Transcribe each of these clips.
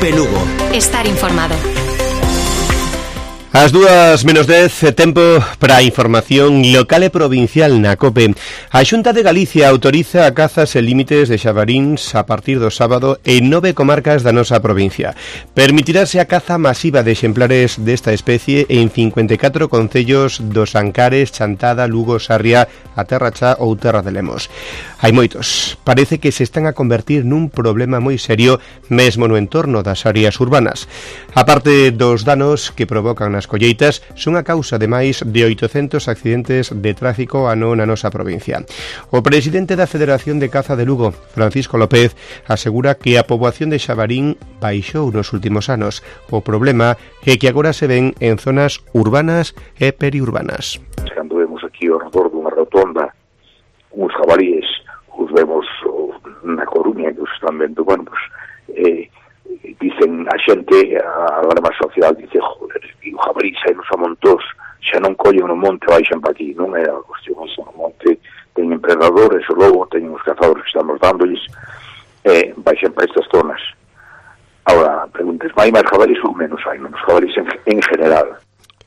COPE Lugo. Estar informado. As 2:10, tempo para a información local e provincial na COPE. A Xunta de Galicia autoriza a cazas e límites de xabaríns a partir do sábado en 9 comarcas da nosa provincia. Permitirase a caza masiva de exemplares desta especie en 54 concellos dos Ancares, Chantada, Lugo, Sarria, a Terra Chá ou Terra de Lemos. Hai moitos. Parece que se están a convertir nun problema moi serio mesmo no entorno das áreas urbanas. A parte dos danos que provocan as colleitas, son a causa de máis de 800 accidentes de tráfico ano na nosa provincia. O presidente da Federación de Caza de Lugo, Francisco López, asegura que a poboación de xabarín baixou nos últimos anos. O problema é que agora se ven en zonas urbanas e periurbanas. Cando vemos aquí ao redor dunha rotonda uns jabalíes, os vemos na Coruña, que os están vendo, bueno, pues, dicen a xente, a alarma social dice, joder, e o jabalí saínos a montós, xa non collen no monte, baixan para aquí, non é a cuestión, no monte teñen predadores, o lobo, teñen os cazadores que estamos dándolles, baixan para estas zonas. Ahora, preguntes, hai máis jabalís ou menos? Hai menos jabalís en general.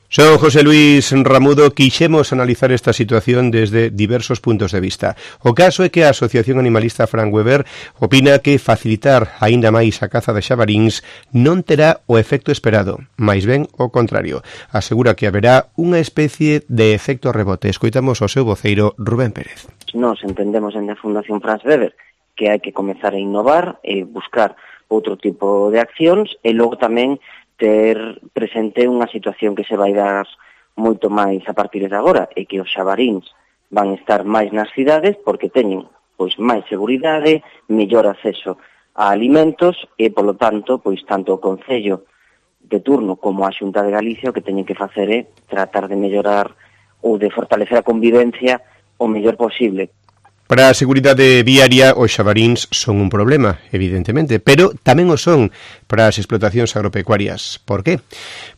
Son José Luis Ramudo, quixemos analizar esta situación desde diversos puntos de vista. O caso é que a Asociación Animalista Frank Weber opina que facilitar aínda máis a caza de xabaríns non terá o efecto esperado, máis ben o contrario. Asegura que haberá unha especie de efecto rebote. Escoitamos o seu voceiro Rubén Pérez. Nos entendemos en a Fundación Frank Weber que hai que comezar a innovar e buscar outro tipo de accións e logo tamén ter presente unha situación que se vai dar moito máis a partir de agora, e que os xabaríns van estar máis nas cidades porque teñen pois máis seguridade, mellor acceso a alimentos e, polo tanto, pois tanto o Concello de turno como a Xunta de Galicia o que teñen que facer é tratar de mellorar ou de fortalecer a convivencia o mellor posible. Para a seguridade viaria, os xabaríns son un problema, evidentemente, pero tamén o son para as explotacións agropecuarias. Por qué?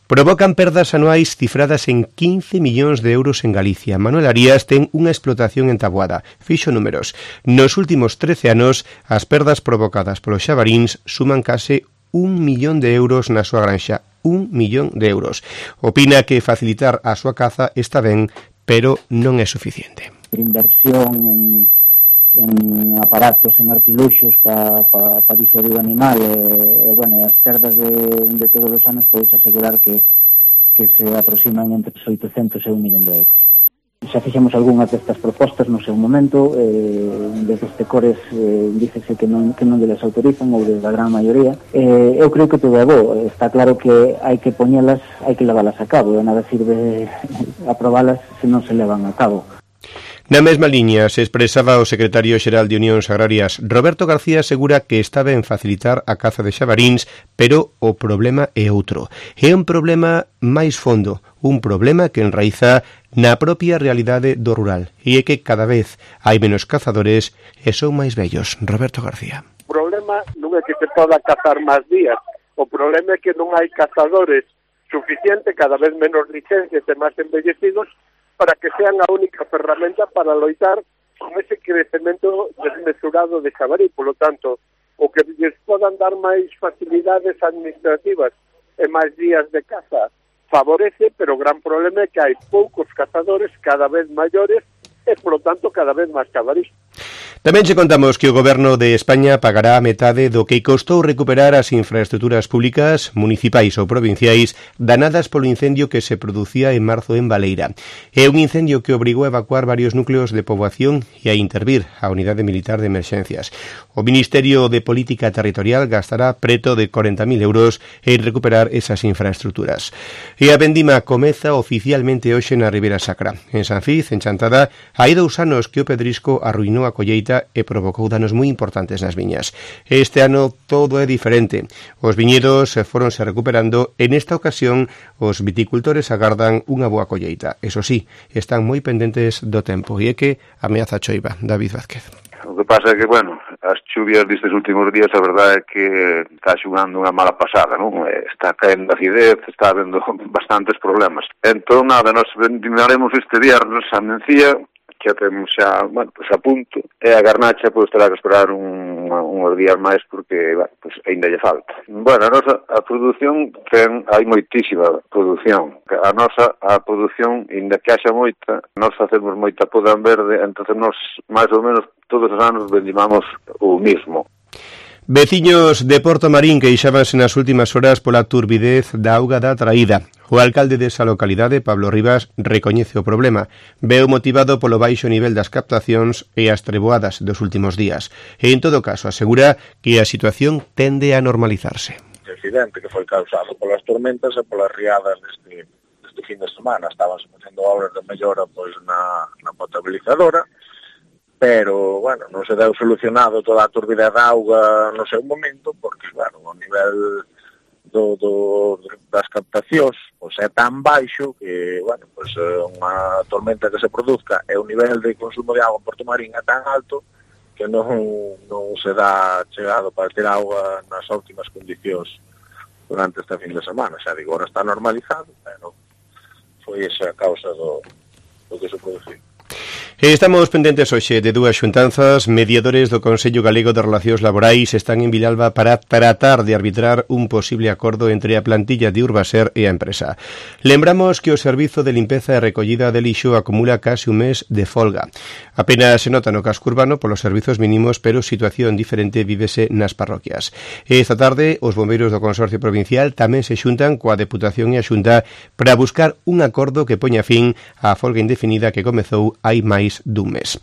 Provocan perdas anuais cifradas en 15 millóns de euros en Galicia. Manuel Arias ten unha explotación en Taboada. Fixo números. Nos últimos 13 anos, as perdas provocadas polos xabaríns suman case 1 millón de euros na súa granxa. 1 millón de euros. Opina que facilitar a súa caza está ben, pero non é suficiente. Inversión en aparatos, en artiluxos para disuadir o animal e bueno, as perdas de todos os anos podes asegurar que se aproximan entre os 800 e 1 millón de euros. Xa fixemos algunhas destas propostas no seu momento, desde os Tecores dícese que non les autorizan, ou desde a gran maioría. Eu creo que todo é bo, está claro que hai que poñelas, hai que leválas a cabo, e nada sirve aprobalas se non se levan a cabo. Na mesma liña se expresaba o secretario xeral de Unións Agrarias. Roberto García asegura que está ben facilitar a caza de xabaríns, pero o problema é outro. É un problema máis fondo, un problema que enraiza na propia realidade do rural, e é que cada vez hai menos cazadores e son máis vellos. Roberto García. O problema non é que se poda cazar máis días, o problema é que non hai cazadores suficiente, cada vez menos licencias e máis envellecidos, para que sean a única ferramenta para loitar con ese crecemento desmesurado de xabarí. Por lo tanto, o que lles podan dar máis facilidades administrativas e máis días de caza favorece, pero o gran problema é que hai poucos cazadores cada vez maiores e, por lo tanto, cada vez máis xabarís. Tamén che contamos que o Goberno de España pagará a metade do que costou recuperar as infraestructuras públicas, municipais ou provinciais danadas polo incendio que se producía en marzo en Baleira. É un incendio que obrigou a evacuar varios núcleos de poboación e a intervir a Unidade Militar de Emerxencias. O Ministerio de Política Territorial gastará preto de 40.000 euros en recuperar esas infraestructuras. E a vendima comeza oficialmente hoxe na Ribeira Sacra. En Sanfiz, en Chantada, hai 2 anos que o pedrisco arruinou a colleita e provocou danos moi importantes nas viñas. Este ano todo é diferente. Os viñedos foronse recuperando e nesta ocasión os viticultores agardan unha boa colleita. Eso sí, están moi pendentes do tempo e é que ameaza a choiva. David Vázquez. O que pasa é que, bueno, as chuvias destes últimos días, a verdade é que está xugando unha mala pasada, non? Está caendo acidez, está habendo bastantes problemas. Entón, nada, nos vendimaremos este viernes a Mencía, que temos xa, bueno, pues a punto, e a garnacha pois terá que esperar un uns días máis porque pues, ainda lle falta. Bueno, a produción hai moitísima produción. A produción, ainda que haxa moita, nós facemos moita poda en verde, entonces nós máis ou menos todos os anos vendimamos o mismo. Veciños de Porto Marín queixábanse nas últimas horas pola turbidez da auga da traída. O alcalde desa localidade, Pablo Rivas, recoñece o problema. Veu motivado polo baixo nivel das captacións e as treboadas dos últimos días. E, en todo caso, asegura que a situación tende a normalizarse. O accidente que foi causado polas tormentas e polas riadas deste fin de semana. Estaban facendo obras de mellora pois, na potabilizadora, pero, bueno, non se deu solucionado toda a turbidez da auga no seu momento, porque, bueno, o nivel das captacións pois, é tan baixo que, bueno, pois, unha tormenta que se produzca e o nivel de consumo de auga en Porto Marín é tan alto que non se dá chegado para ter auga nas óptimas condicións durante este fin de semana. Xa digo, agora está normalizado, pero foi esa a causa do que se produciu. Estamos pendentes hoxe de dúas xuntanzas. Mediadores do Consello Galego de Relacións Laborais están en Vilalba para tratar de arbitrar un posible acordo entre a plantilla de Urbaser e a empresa. Lembramos que o servizo de limpeza e recollida de lixo acumula case un mes de folga. Apenas se nota no casco urbano polos servizos mínimos, pero situación diferente vívese nas parroquias. Esta tarde, os bombeiros do Consorcio Provincial tamén se xuntan coa Deputación e a Xunta para buscar un acordo que poña fin á folga indefinida que comezou hai máis dun mes.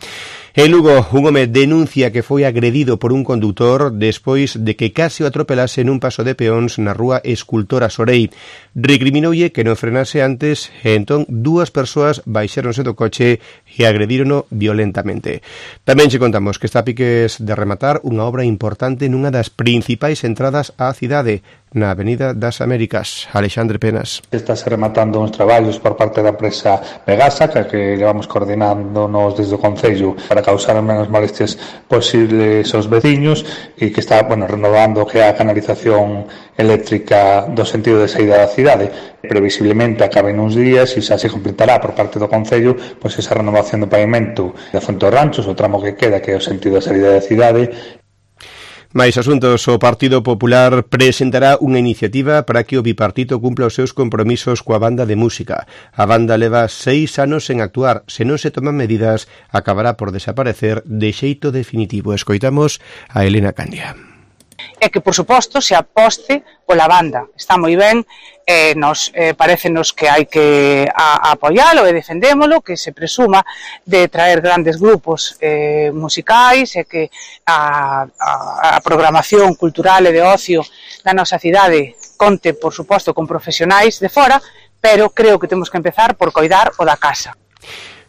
En Lugo, un home denuncia que foi agredido por un condutor despois de que case o atropelase nun paso de peóns na rúa Escultora Sorei. Recriminoulle que non frenase antes e entón dúas persoas baixéronse do coche e agredírono violentamente. Tamén che contamos que está a piques de rematar unha obra importante nunha das principais entradas á cidade, na Avenida das Américas. Alexandre Penas. Está se rematando uns traballos por parte da empresa Megasa, que levamos coordinándonos desde o Concello para causar menos molestias posibles aos veciños e que está, renovando que a canalización eléctrica do sentido de saída da cidade. Previsiblemente acabe nuns días e xa se completará por parte do Concello esa renovación do pavimento da Fonte dos Ranchos, o tramo que queda, que é o sentido da saída da cidade. Mais asuntos, o Partido Popular presentará unha iniciativa para que o bipartito cumpla os seus compromisos coa banda de música. A banda leva 6 anos en actuar. Se non se toman medidas, acabará por desaparecer de xeito definitivo. Escoitamos a Elena Candia. E que, por suposto, se aposte pola banda. Está moi ben, parécenos que hai que apoialo e defendémolo, que se presuma de traer grandes grupos musicais e que a programación cultural e de ocio da nosa cidade conte, por suposto, con profesionais de fora, pero creo que temos que empezar por coidar o da casa.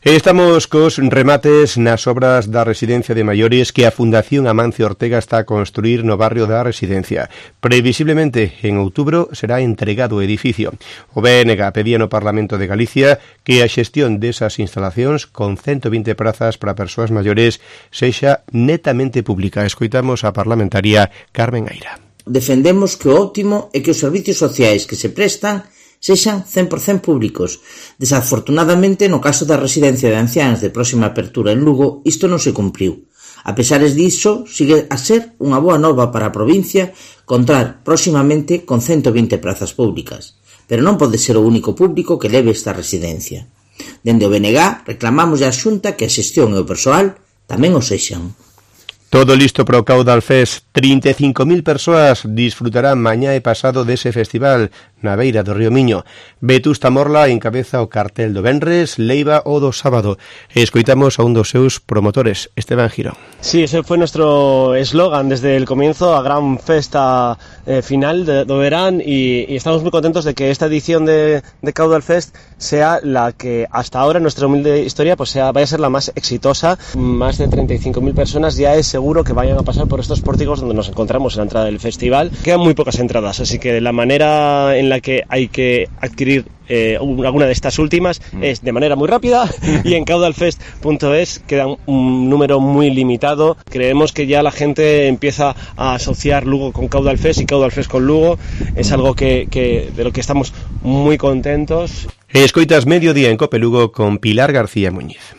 Estamos cos remates nas obras da residencia de maiores que a Fundación Amancio Ortega está a construir no barrio da Residencia. Previsiblemente, en outubro, será entregado o edificio. O BNG pedía no Parlamento de Galicia que a xestión desas instalacións con 120 prazas para persoas maiores sexa netamente pública. Escoitamos a parlamentaria Carmen Aira. Defendemos que o óptimo é que os servicios sociais que se prestan sexan 100% públicos. Desafortunadamente, no caso da residencia de anciáns de próxima apertura en Lugo, isto non se cumpriu. A pesares diso, sigue a ser unha boa nova para a provincia contar próximamente con 120 prazas públicas. Pero non pode ser o único público que leve esta residencia. Dende o BNG reclamamos a Xunta que a xestión e o persoal tamén o sexan. Todo listo para o Caudal Fest. 35.000 persoas disfrutarán mañá e pasado dese festival na beira do río Miño. Vetusta Morla encabeza o cartel do venres, Leiva o do sábado. Escoitamos a un dos seus promotores, Esteban Girón. Sí, ese fue nuestro eslogan desde el comienzo, a gran festa final do verán, y estamos muy contentos de que esta edición de Caudal Fest sea la que hasta ahora en nuestra humilde historia vaya a ser la más exitosa. Más de 35.000 personas, ya es seguro que vayan a pasar por estos pórticos donde nos encontramos en la entrada del festival. Quedan muy pocas entradas, así que la manera en la que hay que adquirir alguna de estas últimas es de manera muy rápida, y en caudalfest.es queda un número muy limitado. Creemos que ya la gente empieza a asociar Lugo con Caudal Fest y Caudal Fest con Lugo. Es algo de lo que estamos muy contentos. Escoitas Mediodía en Cope Lugo con Pilar García Muñiz.